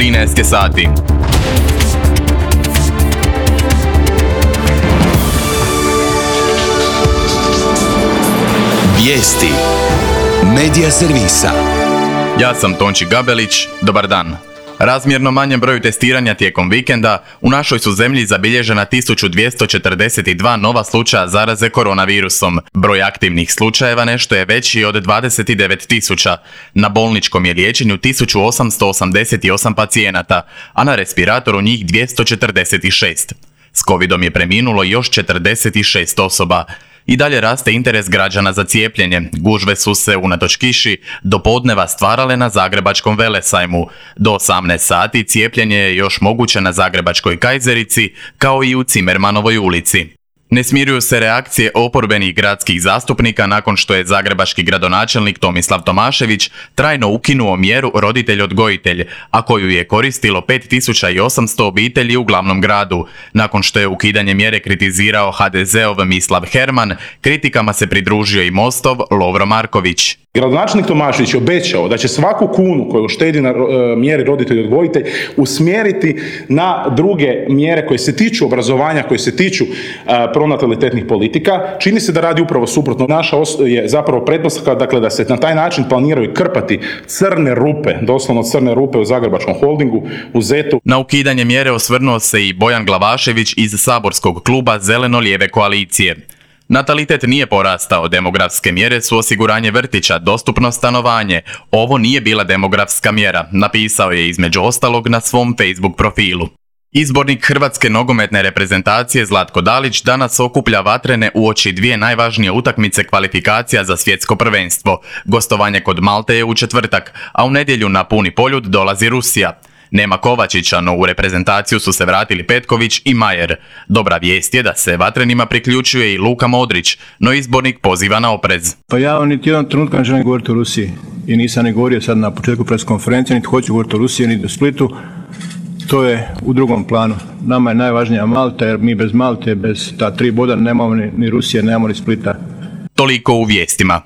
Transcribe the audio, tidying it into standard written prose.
13 sati. Vijesti Medija servisa. Ja sam Tonči Gabelić, dobar dan. Razmjerno manjem broju testiranja tijekom vikenda, u našoj su zemlji zabilježena 1242 nova slučaja zaraze koronavirusom. Broj aktivnih slučajeva nešto je veći od 29.000. Na bolničkom je liječenju 1888 pacijenata, a na respiratoru njih 246. S covidom je preminulo još 46 osoba. I dalje raste interes građana za cijepljenje. Gužve su se, unatoč kiši, do podneva stvarale na Zagrebačkom velesajmu. Do 18 sati cijepljenje je još moguće na Zagrebačkoj Kajzerici, kao i u Cimermanovoj ulici. Ne smiruju se reakcije oporbenih gradskih zastupnika nakon što je zagrebački gradonačelnik Tomislav Tomašević trajno ukinuo mjeru roditelj-odgojitelj, a koju je koristilo 5800 obitelji u glavnom gradu. Nakon što je ukidanje mjere kritizirao HDZ-ov Mislav Herman, kritikama se pridružio i Mostov Lovro Marković. Gradonačelnik Tomašević je obećao da će svaku kunu koju štedi na mjeri roditelj-odgojitelj usmjeriti na druge mjere koje se tiču obrazovanja, koje se tiču pronatalitetnih politika. Čini se da radi upravo suprotno. Naša je zapravo pretpostavka, dakle, da se na taj način planiraju krpati crne rupe, doslovno crne rupe u Zagrebačkom holdingu, u ZET-u. Na ukidanje mjere osvrnuo se i Bojan Glavašević iz saborskog kluba Zeleno-lijeve koalicije. Natalitet nije porastao, demografske mjere su osiguranje vrtića, dostupno stanovanje. Ovo nije bila demografska mjera, napisao je između ostalog na svom Facebook profilu. Izbornik Hrvatske nogometne reprezentacije Zlatko Dalić danas okuplja vatrene uoči dvije najvažnije utakmice kvalifikacija za svjetsko prvenstvo. Gostovanje kod Malte je u četvrtak, a u nedjelju na puni poljud dolazi Rusija. Nema Kovačića, no u reprezentaciju su se vratili Petković i Majer. Dobra vijest je da se vatrenima priključuje i Luka Modrić, no izbornik poziva na oprez. Pa ja niti jednog trenutka ne želim govoriti o Rusiji i nisam ni govorio sad na početku pres konferencije, niti hoću govoriti o Rusiji, niti o Splitu. To je u drugom planu. Nama je najvažnija Malta, jer mi bez Malte, bez ta 3 boda nemamo ni Rusije, nemamo ni Splita. Toliko u vijestima.